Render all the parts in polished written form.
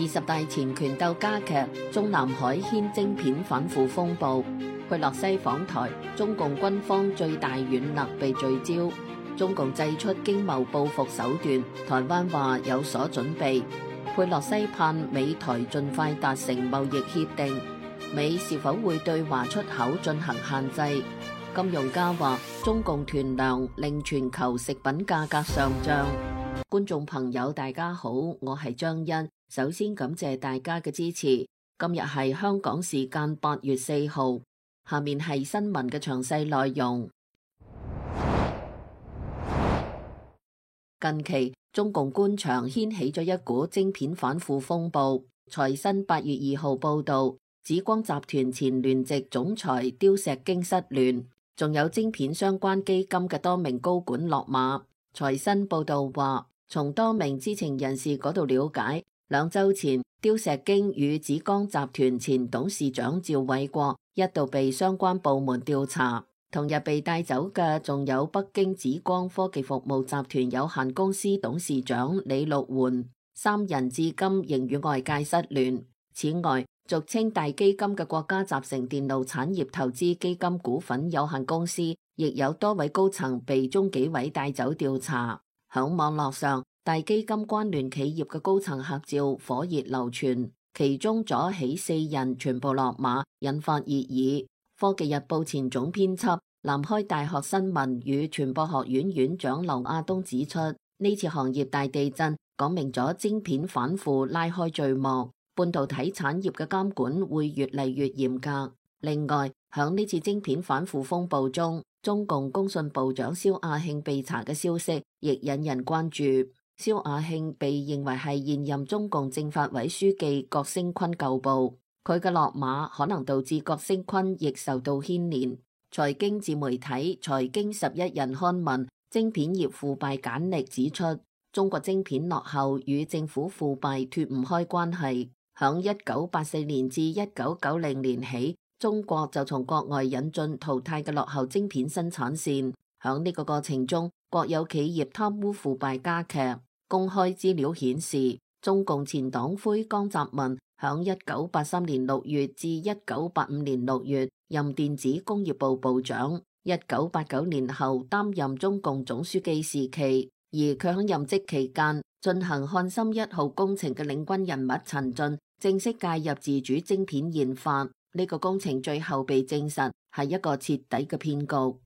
20大前權鬥加劇，中南海掀晶片反腐風暴。佩洛西訪台，中共軍方最大軟肋被聚焦。中共祭出經貿報復手段，台灣話有所準備。佩洛西盼美台盡快達成貿易協定。美是否會對華出口進行限制？金融家話中共囤糧令全球食品價格上漲。觀眾朋友大家好，我係張欣，首先感謝大家嘅支持。今日係香港時間8月4號，下面係新聞嘅詳細內容。近期中共官場掀起咗一股晶片反腐風暴。財新8月2號報道，紫光集團前聯席總裁刁石京失聯，仲有晶片相關基金嘅多名高管落馬。財新報道話，從多名知情人士嗰度了解，2週前刁石京與紫光集團前董事長趙偉國一度被相關部門調查。同日被帶走嘅仲有北京紫光科技服務集團有限公司董事長李陸援，3人至今仍與外界失聯。此外，俗稱大基金嘅國家集成電路產業投資基金股份有限公司亦有多位高層被中紀委帶走調查。響網絡上，大基金關聯企業嘅高層合照火熱流傳，其中左起4人全部落馬，引發熱議。科技日報前總編輯、南開大學新聞與傳播學院院長劉亞東指出，呢次行業大地震講明咗晶片反腐拉開序幕，半導體產業嘅監管會越嚟越嚴格。另外，響呢次晶片反腐風暴中，中共工信部長肖亞慶被查嘅消息亦引人關注。肖亞慶被認為係現任中共政法委書記郭聲琨舊部。佢嘅落馬可能導致郭聲琨亦受到牽連。財經自媒體財經11人刊文晶片業腐敗簡歷指出，中國晶片落後與政府腐敗脫唔開關係。響1984年至1990年起，中國就從國外引進淘汰嘅落後晶片生產線。響呢個過程中，國有企業貪污腐敗加劇。公開資料顯示，中共前黨魁江澤民響1983年6月至1985年6月任電子工業部部長，1989年後擔任中共總書記時期，而佢響任職期間進行漢森1號工程嘅領軍人物陳進正式介入自主晶片研發，呢個工程最後被證實係一個徹底嘅騙局。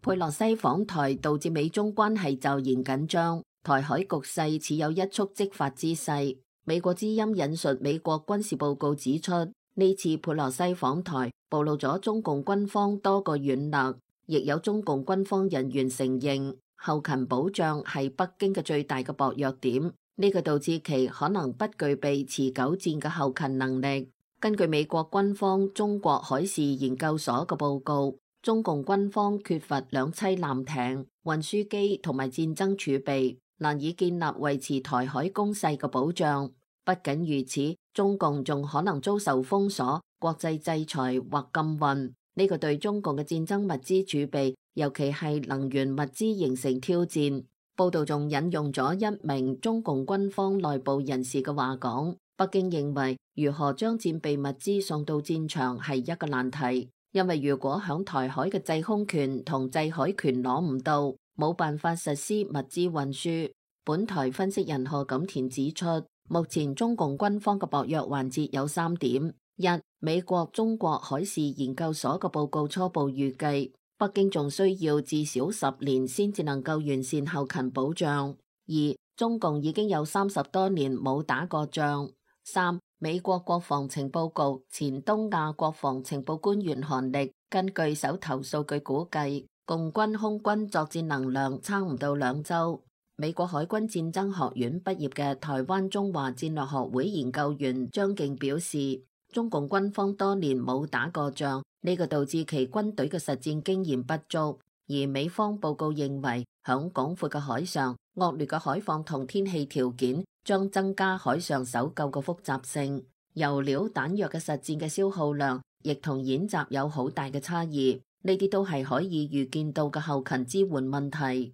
佩洛西訪台導致美中關係驟然緊張，台海局勢似有一觸即發之勢。美國之音引述美國軍事報告指出，呢次佩洛西訪台暴露咗中共軍方多個軟肋，亦有中共軍方人員承認後勤保障係北京嘅最大嘅薄弱點，呢個導致其可能不具備持久戰嘅後勤能力。根據美國軍方中國海事研究所嘅報告，中共軍方缺乏2棲艦艇、運輸機同埋戰爭儲備，難以建立維持台海攻勢嘅保障。不僅如此，中共仲可能遭受封鎖、國際制裁或禁運，呢個對中共嘅戰爭物資儲備，尤其係能源物資形成挑戰。報道仲引用咗一名中共軍方內部人士嘅話講，北京認為如何將戰備物資送到戰場係一個難題，因為如果響台海嘅制空權同制海權攞唔到，冇辦法實施物資運輸。本台分析人賀錦田指出，目前中共軍方嘅薄弱環節有3點：一、美國中國海事研究所嘅報告初步預計，北京仲需要至少10年先至能夠完善後勤保障；二、中共已經有30多年冇打過仗；三、美國國防情報局前東亞國防情報官員韓力根據手頭數據估計，共軍空軍作戰能量差唔到2週。美國海軍戰爭學院畢業嘅台灣中華戰略學會研究員張敬表示，中共軍方多年冇打過仗，呢個導致其軍隊嘅實戰經驗不足。而美方報告認為，響廣闊嘅海上，惡劣嘅海況同天氣條件將增加海上搜救嘅複雜性，油料彈藥嘅實戰嘅消耗量亦同演習有好大嘅差異，呢啲都係可以預見到嘅後勤支援問題。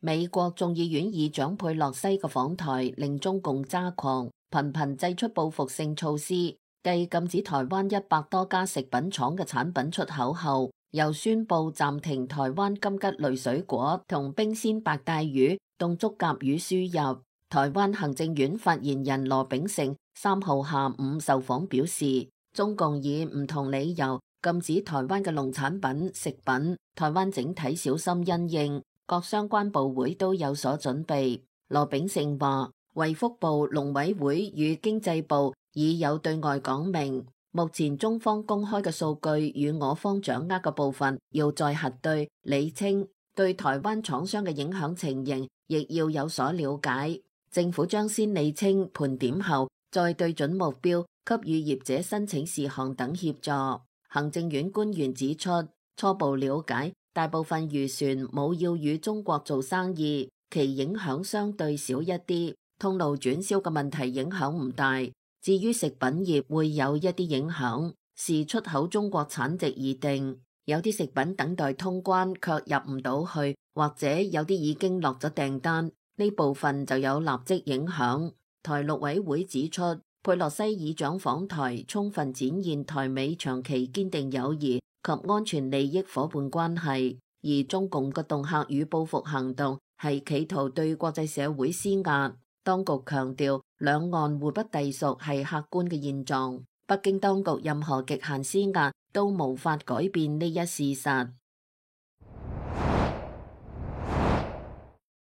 美國眾議院議長佩洛西嘅訪台令中共揸狂，頻頻祭出報復性措施，繼禁止台灣100多家食品廠嘅產品出口後，又宣布暫停台灣金桔類水果同冰鮮白帶魚、凍竹夾魚輸入。台灣行政院發言人羅秉成3號下午受訪表示，中共以唔同理由禁止台灣嘅農產品、食品，台灣整體小心因應。各相關部會都有所準備。羅秉成話，衛福部、農委會與經濟部已有對外講明，目前中方公開嘅數據與我方掌握嘅部分要再核對、理清，對台灣廠商嘅影響情形亦要有所了解。政府將先理清盤點後，再對準目標，給予業者申請事項等協助。行政院官員指出，初步了解，大部分漁船冇要與中國做生意，其影響相對少一啲，通路轉銷嘅問題影響唔大。至於食品業會有一啲影響，視出口中國產值而定。有啲食品等待通關卻入唔到去，或者有啲已經落咗訂單，呢部分就有立即影響。台陸委會指出，佩洛西議長訪台，充分展現台美長期堅定友誼及安全利益夥伴關係，而中共嘅恫嚇與報復行動係企圖對國際社會施壓。當局強調，兩岸互不隸屬係客觀嘅現狀，北京當局任何極限施壓都無法改變呢一事實。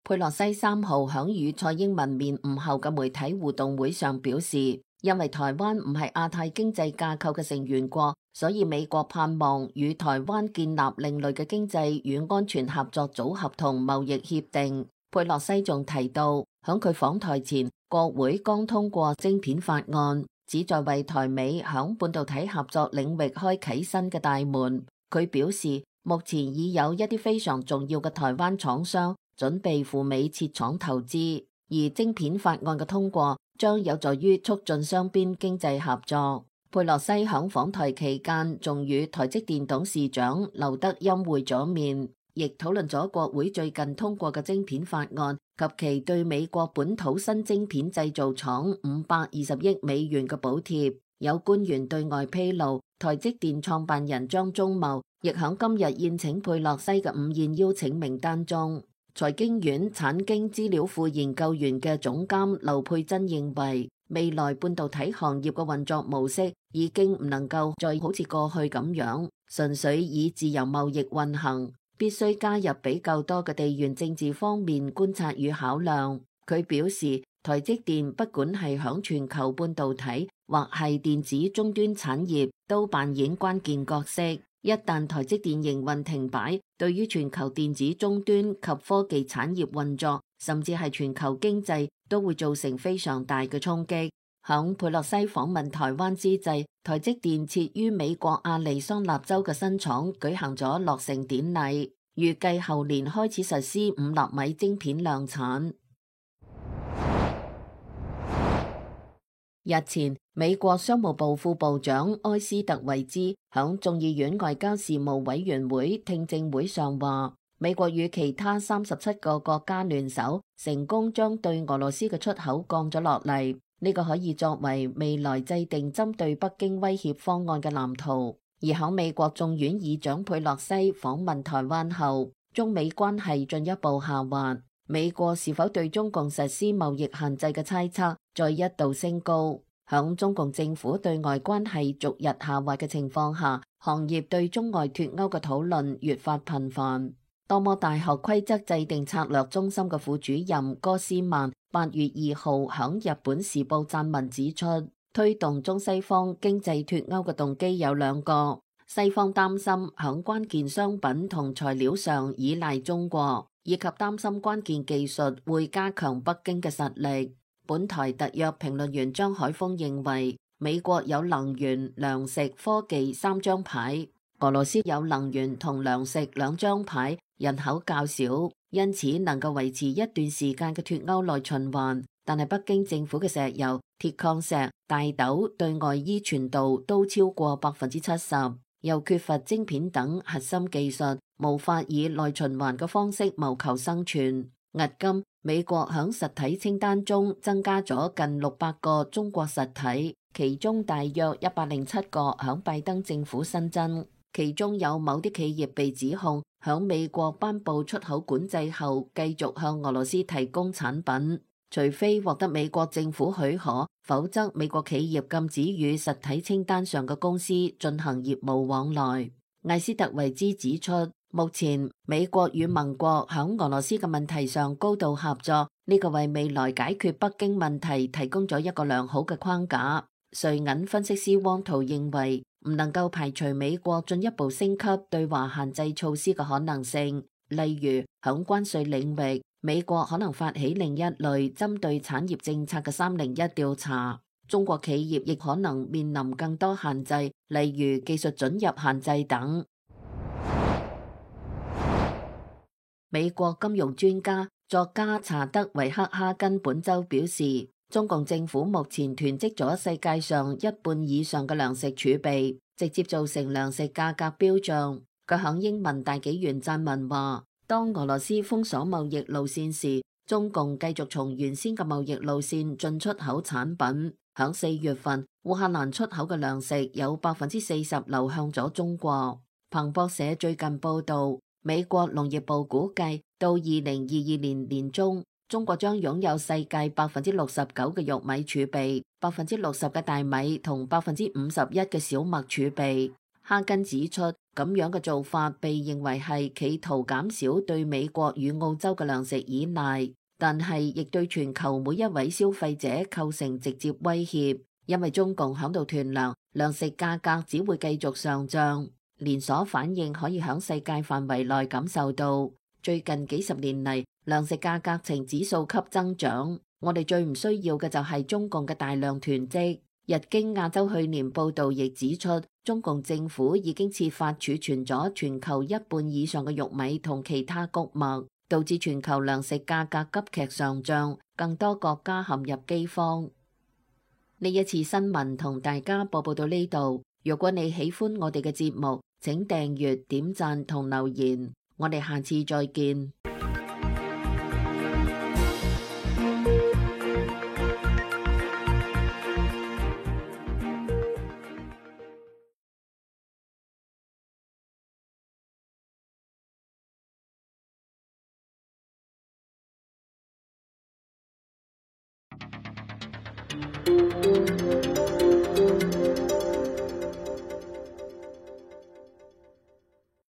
佩洛西3號響與蔡英文面晤後嘅媒體互動會上表示，因為台灣唔係亞太經濟架構嘅成員國，所以美國盼望與台灣建立另類嘅經濟與安全合作組合同貿易協定。佩洛西仲提到，響佢訪台前，國會剛通過晶片法案，旨在為台美響半導體合作領域開啟新嘅大門。佢表示，目前已有一啲非常重要嘅台灣廠商準備赴美設廠投資，而晶片法案嘅通過將有助於促進雙邊經濟合作。佩洛西響訪台期間，仲與台積電董事長劉德音會咗面，亦討論咗國會最近通過嘅晶片法案及其對美國本土新晶片製造廠520億美元嘅補貼。有官員對外披露，台積電創辦人張忠謀亦響今日宴請佩洛西嘅午宴邀請名單中。財經院產經資料庫研究員嘅總監劉佩珍認為，未來半導體行業嘅運作模式已經唔能夠再好似過去咁樣，純粹以自由貿易運行，必須加入比較多嘅地緣政治方面觀察與考量。佢表示，台積電不管係響全球半導體或係電子終端產業，都扮演關鍵角色。一旦台積電營運停擺，對於全球電子終端及科技產業運作，甚至係全球經濟，都會造成非常大嘅衝擊。響佩洛西訪問台灣之際，台積電設於美國亞利桑那州嘅新廠舉行咗落成典禮，預計後年開始實施5納米晶片量產。日前，美國商務部副部長埃斯特維茲響眾議院外交事務委員會聽證會上話，美國與其他37個國家聯手，成功將對俄羅斯嘅出口降咗落嚟。呢個可以作為未來制定針對北京威脅方案嘅藍圖。而響美國眾院議長佩洛西訪問台灣後，中美關係進一步下滑。美國是否對中共實施貿易限制嘅猜測再一度升高。響中共政府對外關係逐日下滑嘅情況下，行業對中外脫歐嘅討論越發頻繁。多摩大學規則制定策略中心嘅副主任戈斯曼8月2號響日本時報撰文指出，推動中西方經濟脫歐嘅動機有兩個，西方擔心響關鍵商品同材料上依賴中國，以及擔心關鍵技術會加強北京嘅實力。本台特約評論員張海峰認為，美國有能源、糧食、科技3張牌，俄羅斯有能源同糧食2張牌，人口較少，因此能夠維持一段時間嘅脫歐內循環。但係北京政府嘅石油、鐵礦石、大豆對外依存度都超過70%，又缺乏晶片等核心技術，無法以內循環嘅方式謀求生存。迄今，美國響實體清單中增加咗近600個中國實體，其中大約107個響拜登政府新增，其中有某啲企業被指控響美國頒布出口管制後，繼續向俄羅斯提供產品，除非獲得美國政府許可，否則美國企業禁止與實體清單上嘅公司進行業務往來。艾斯特維茲指出，目前美國與盟國響俄羅斯嘅問題上高度合作，呢個為未來解決北京問題提供咗一個良好嘅框架。瑞銀分析師汪濤認為，唔能夠排除美國進一步升級對華限制措施嘅可能性，例如響關稅領域，美國可能發起另一類針對產業政策嘅301調查。中國企業亦可能面臨更多限制，例如技術准入限制等。美國金融專家作家查德維克哈根本周表示，中共政府目前囤積咗世界上一半以上嘅糧食儲備，直接造成糧食價格飆漲。佢響英文大紀元撰文話，當俄羅斯封鎖貿易路線時，中共繼續從原先嘅貿易路線進出口產品。響4月份，烏克蘭出口嘅糧食有40%流向咗中國。彭博社最近報道，美國農業部估計到2022年年中，中國將擁有世界69%嘅玉米儲備，60%嘅大米同51%嘅小麥儲備。哈根指出，咁樣嘅做法被認為係企圖減少對美國與澳洲嘅糧食依賴，但係亦對全球每一位消費者構成直接威脅，因為中共響度囤糧，糧食價格只會繼續上漲。連鎖反應可以響世界範圍內感受到。最近幾十年嚟，糧食價格呈指數級增長。我哋最唔需要嘅就係中共嘅大量囤積。日經亞洲去年報道亦指出，中共政府已經設法儲存咗全球一半以上嘅玉米同其他穀物，導致全球糧食價格急劇上漲，更多國家陷入饑荒。呢一次新聞同大家播報到呢度。如果你喜歡我哋嘅節目，請訂閱、點讚同留言。我哋下次再見。